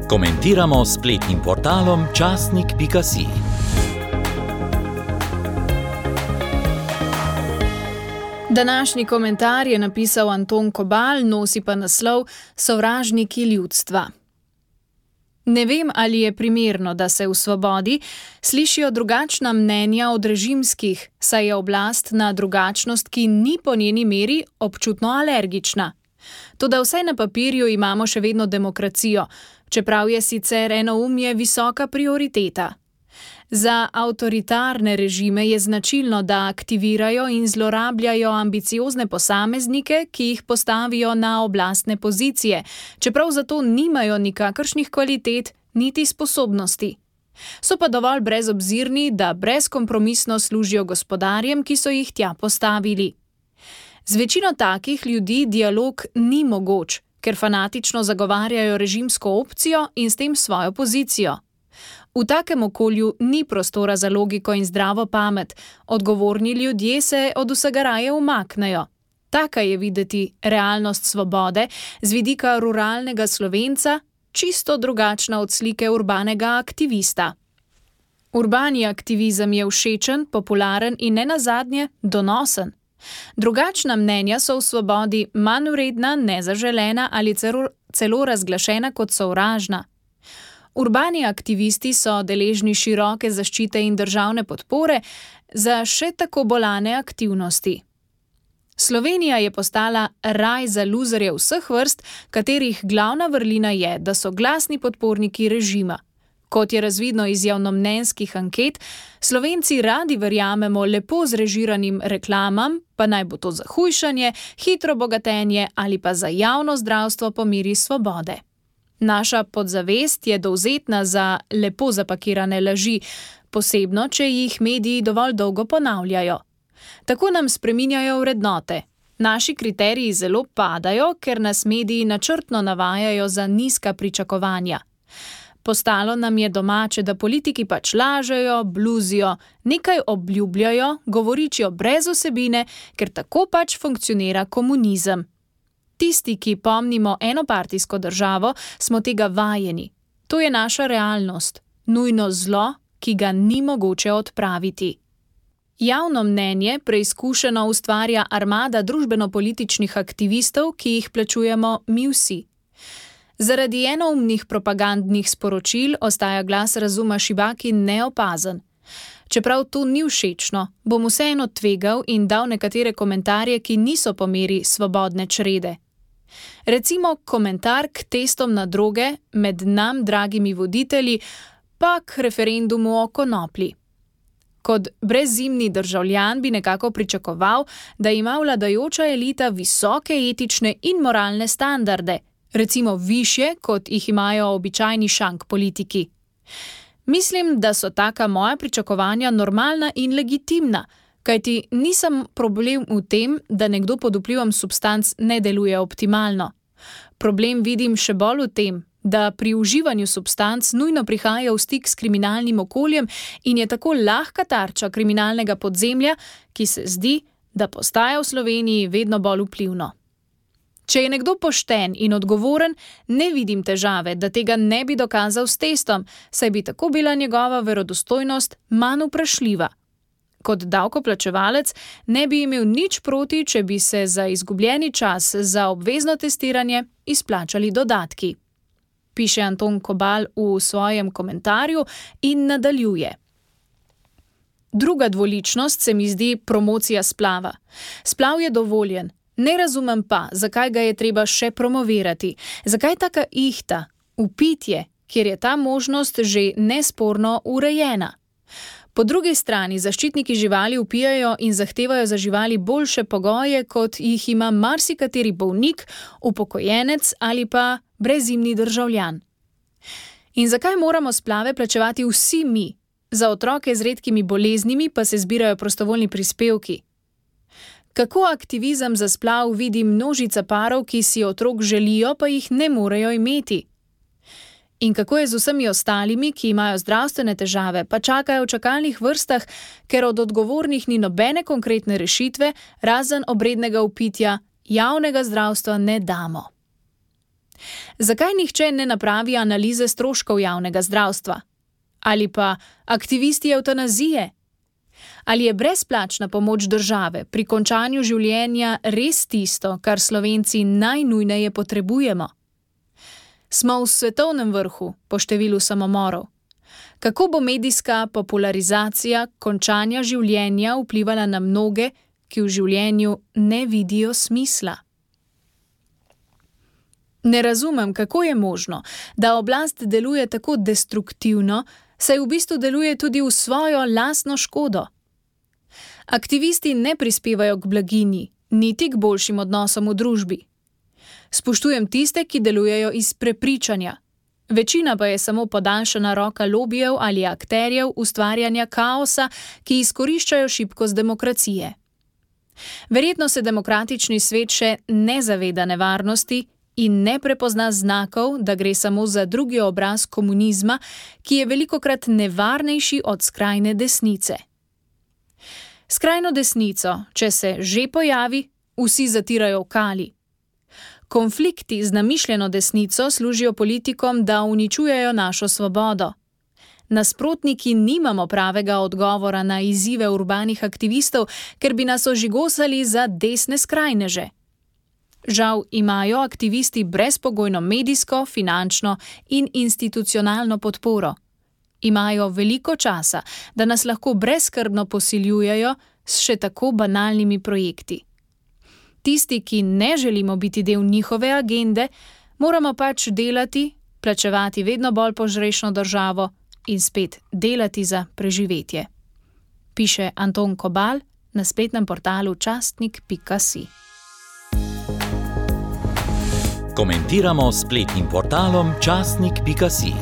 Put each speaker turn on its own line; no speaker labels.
Komentiramo s spletnim portalom časnik.si.
Današnji komentar je napisal Anton Kobal, nosi pa naslov Sovražniki ljudstva. Ne vem, ali je primerno, da se v Svobodi slišijo drugačna mnenja od režimskih, saj je oblast na drugačnost, ki ni po njeni meri občutno alergična. Toda vsaj na papirju imamo še vedno demokracijo, čeprav je sicer enoumje visoka prioriteta. Za avtoritarne režime je značilno, da aktivirajo in zlorabljajo ambiciozne posameznike, ki jih postavijo na oblastne pozicije, čeprav zato nimajo nikakršnih kvalitet niti sposobnosti. So pa dovolj brezobzirni, da brezkompromisno služijo gospodarjem, ki so jih tja postavili. Z večino takih ljudi dialog ni mogoč, ker fanatično zagovarjajo režimsko opcijo in s tem svojo pozicijo. V takem okolju ni prostora za logiko in zdravo pamet, odgovorni ljudje se od vsega raje umaknejo. Taka je videti realnost Svobode z vidika ruralnega Slovenca, čisto drugačna od slike urbanega aktivista. Urbani aktivizem je všečen, popularen in nenazadnje donosen. Drugačna mnenja so v Svobodi manj vredna, nezaželena ali celo razglašena kot sovražna. Urbani aktivisti so deležni široke zaščite in državne podpore za še tako bolane aktivnosti. Slovenija je postala raj za luzerje vseh vrst, katerih glavna vrlina je, da so glasni podporniki režima. Kot je razvidno iz javnomnenjskih anket, Slovenci radi verjamemo lepo zrežiranim reklamam, pa naj bo to za hujšanje, hitro bogatenje ali pa za javno zdravstvo po meri Svobode. Naša podzavest je dovzetna za lepo zapakirane laži, posebno, če jih mediji dovolj dolgo ponavljajo. Tako nam spreminjajo vrednote. Naši kriteriji zelo padajo, ker nas mediji načrtno navajajo za nizka pričakovanja. Postalo nam je domače, da politiki pač lažejo, bluzijo, nekaj obljubljajo, govoričijo brez vsebine, ker tako pač funkcionira komunizem. Tisti, ki pomnimo enopartijsko državo, smo tega vajeni. To je naša realnost, nujno zlo, ki ga ni mogoče odpraviti. Javno mnenje preizkušeno ustvarja armada družbeno-političnih aktivistov, ki jih plačujemo mi vsi. Zaradi enoumnih propagandnih sporočil ostaja glas razuma šibak in neopazen. Čeprav to ni všečno, bom vseeno tvegal in dal nekatere komentarje, ki niso po meri svobodne črede. Recimo komentar k testom na droge med nam dragimi voditelji, pa k referendumu o konoplji. Kot brezzimni državljan bi nekako pričakoval, da ima vladajoča elita visoke etične in moralne standarde, recimo višje, kot jih imajo običajni šank politiki. Mislim, da so taka moja pričakovanja normalna in legitimna, kajti nisem problem v tem, da nekdo pod vplivom substanc ne deluje optimalno. Problem vidim še bolj v tem, da pri uživanju substanc nujno prihaja v stik s kriminalnim okoljem in je tako lahka tarča kriminalnega podzemlja, ki se zdi, da postaja v Sloveniji vedno bolj vplivno. Če je nekdo pošten in odgovoren, ne vidim težave, da tega ne bi dokazal s testom, saj bi tako bila njegova verodostojnost manj vprašljiva. Kot davkoplačevalec ne bi imel nič proti, če bi se za izgubljeni čas za obvezno testiranje izplačali dodatki. Piše Anton Kobal v svojem komentarju in nadaljuje. Druga dvoličnost se mi zdi promocija splava. Splav je dovoljen. Ne razumem pa, zakaj ga je treba še promovirati. Zakaj taka ihta, vpitje, kjer je ta možnost že nesporno urejena. Po drugi strani zaščitniki živali vpijajo in zahtevajo za živali boljše pogoje, kot jih ima marsikateri bolnik, upokojenec ali pa brezzimni državljan. In zakaj moramo splave plačevati vsi mi? Za otroke z redkimi boleznimi pa se zbirajo prostovoljni prispevki. Kako aktivizem za splav vidi množica parov, ki si otrok želijo, pa jih ne morejo imeti? In kako je z vsemi ostalimi, ki imajo zdravstvene težave, pa čakajo v čakalnih vrstah, ker od odgovornih ni nobene konkretne rešitve, razen obrednega vpitja, javnega zdravstva ne damo. Zakaj nihče ne napravi analize stroškov javnega zdravstva? Ali pa aktivisti evtanazije? Ali je brezplačna pomoč države pri končanju življenja res tisto, kar Slovenci najnujneje potrebujemo? Smo v svetovnem vrhu po številu samomorov. Kako bo medijska popularizacija končanja življenja vplivala na mnoge, ki v življenju ne vidijo smisla? Ne razumem, kako je možno, da oblast deluje tako destruktivno, saj v bistvu deluje tudi v svojo lastno škodo. Aktivisti ne prispevajo k blaginji, niti k boljšim odnosom v družbi. Spoštujem tiste, ki delujejo iz prepričanja. Večina pa je samo podaljšana roka lobijev ali akterjev ustvarjanja kaosa, ki izkoriščajo šibkost demokracije. Verjetno se demokratični svet še ne zaveda nevarnosti in ne prepozna znakov, da gre samo za drugi obraz komunizma, ki je velikokrat nevarnejši od skrajne desnice. Skrajno desnico, če se že pojavi, vsi zatirajo v kali. Konflikti z namišljeno desnico služijo politikom, da uničujejo našo svobodo. Nasprotniki nimamo pravega odgovora na izzive urbanih aktivistov, ker bi nas ožigosali za desne skrajneže. Žal imajo aktivisti brezpogojno medijsko, finančno in institucionalno podporo. Imajo veliko časa, da nas lahko brezskrbno posiljujejo s še tako banalnimi projekti. Tisti, ki ne želimo biti del njihove agende, moramo pač delati, plačevati vedno bolj požrešno državo in spet delati za preživetje. Piše Anton Kobal na spletnem portalu častnik.si.
Komentiramo s spletnim portalom častnik.si.